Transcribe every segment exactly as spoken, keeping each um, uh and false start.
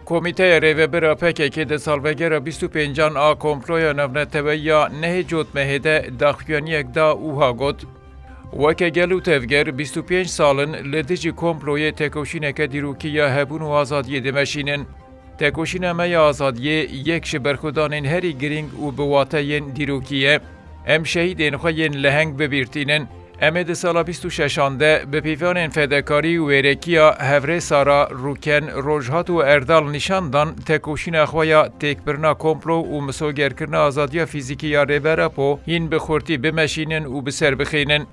Komîteya Rêvebir a P K K di salvegera bîst û pêncan a komploya navneteweyî ya nehê Cotmehê de daxuyaniyek da û wiha got: Weke gel û tevger bîst û pênc sal in li dijî komployê tekoşîneke dîrokî ya hebûn û azadiyê dimeşînin. Tekoşîna me ya azadiyê yek ji berxwedanên herî girîng û bi wate yên dîrokî ye. Em şehîdên xwe yên leheng bi bîr tînin. Em ê di sala bîst û şeşan de bi pîvanên fedekarî û wêrekiya Hevrêsara, Rûken, Rojhat û Erdal nîşan dan tekoşîna xwe ya têkbirina komplo û misogerkirina azadiya fîzîkî ya Rêber Apo hîn bi xurtî bimeşînin û bi ser bixînin.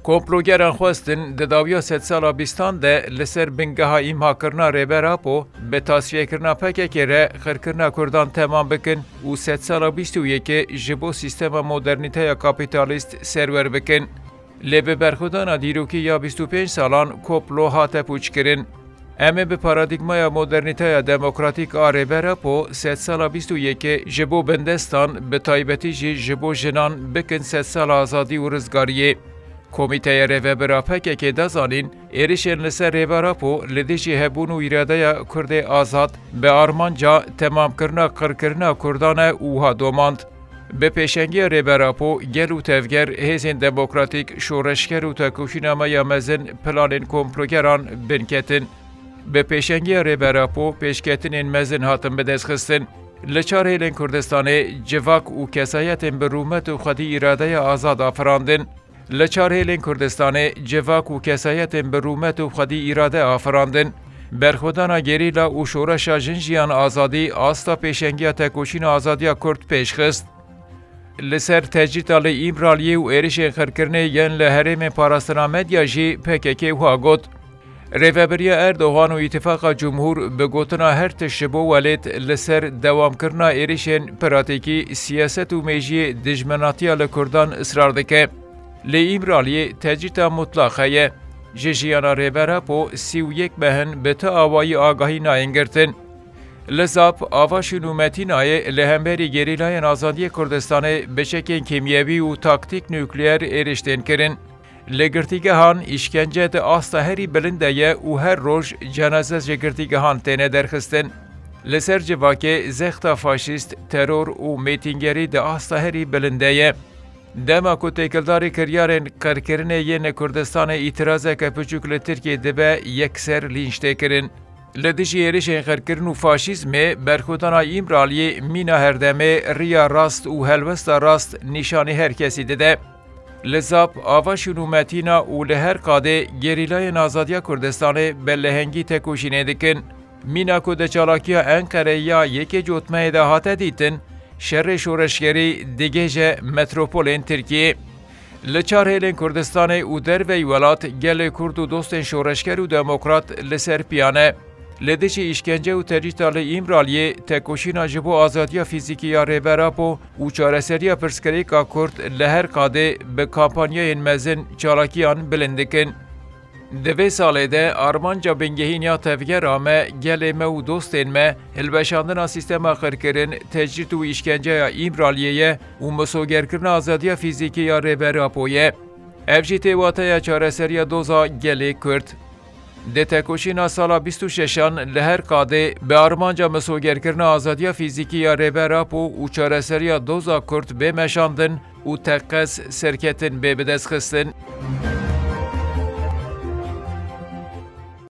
Komplogeran xwestin di dawiya sedsala bîstan de li ser bingeha îmhakirina Rêber Apo bi tasfiyekirina P K K re xirkirina Kurdan temam bikin û sedsala bîst û yekê ji bo sîstema modernîteya kapîtalîst serwer bikin. Lê bi berxwedana dîrokî ya bîst û pênc salan komplo hate pûçkirin. Em ê bi paradîgmaya modernîteya demokratîk a Rêber Apo sedsala bîst û yekê ji bo bindestan, bi taybetî jî ji bo jinan bikin sedsala azadî û rizgariyê. Komîteya Rêvebir a P K K da zanîn, êrişên li ser Rêber Apo li dijî hebûn û îradeya Kurdê azad bi armanca temamkirina qirkirina Kurdan e û wiha domand: Bi pêşengiya Rêber Apo, gel û tevger, hêzên demokratîk, şoreşger û tekoşîna me ya mezin planên komplogeran binketin. Bi pêşengiya Rêber Apo, pêşketinên mezin hatin bidestxistin. Li çar hêlên Kurdistanê civak û kesayetên bi rûmet û xwedî îradeya azad afirandin. Li çar hêlên Kurdistanê civak û kesayetên bi rûmet û xwedî îrade afirandin. Berxwedana gerîla û şoreşa Jin Jiyan Azadî asta pêşengiya tekoşîna azadiya Kurd pêş xist. Li ser tecrîta li Îmraliyê û êrişên xirkirinê yên li herêmên parastina medya jî P K K wiha got: Rêvebiriya Erdogan û Îtifaqa Cumhur bi gotina her tişt ji bo welêt li ser dewamkirina êrişên pratîkî, siyaset û mêjiyê dijminatiya li Kurdan israr dike. Lê Îmraliyê tecrîta mutlaq heye. Ji jiyana Rêber Apo sî û yek meh in bi ti awayî agahî nayên girtin. Li Zap, Avaşîn û Metînayê li hemberî gerîlayên azadiyê Kurdistanê bi çekên kîmyewî û taktîk nukleer êriştên kirin. Li girtîgehan îşkence di asta herî bilind de ye û her roj cenaze ji girtîgehan têne derxistin. Li ser civakê zexta faşîst, teror û mêtîngerî di asta herî bilind de ye. Dema ku têkildarî kiryarên qirkirinê yên li Kurdistanê îtirazeke piçûk li Tirkiyê dibe, yekser lînç tê kirin. Li dijî êrişên qirkirin û faşîzmê, berxwedana Îmraliyê mîna herdemê, riya rast û helwesta rast nîşanî her kesî dide. Li Zap, Avaşîn û Metîna û li her qadê gerîlayên azadiya Kurdistanê bi lehengî tekoşînê dikin. Mîna ku di çalakiya Enqereyê ya yekê Cotmehê de hate dîtin, şerê şoreşgerî digihêje metropolên Tirkiyê. Li çar hêlên Kurdistanê û derveyî welat gelê Kurd û dostên şoreşger û demokrat li ser piya ne. Li dijî îşkence û tecrîta li Îmraliyê tekoşîna ji bo azadiya fîzîkî ya Rêber Apo û çareseriya pirsgirêka Kurd li her qadê bi kampanyayên mezin çalakiyan bilind dikin. Di vê salê de armanca bingehîn ya tevgera me, gelê me û dostên me, hilweşandina sîstema qirkirin, tecrîd û îşkenceya Îmraliyê ye û misogerkirina azadiya fîzîkî ya Rêber Apo ye. Ev jî tê wateya çareseriya doza gelê Kurd. Di tekoşîna sala bîst û şeşan li her qadê bi armanca misogerkirina azadiya fîzîkî ya Rêber Apo û çareseriya doza Kurd bê meşandin û teqez serketin bê bidestxistin.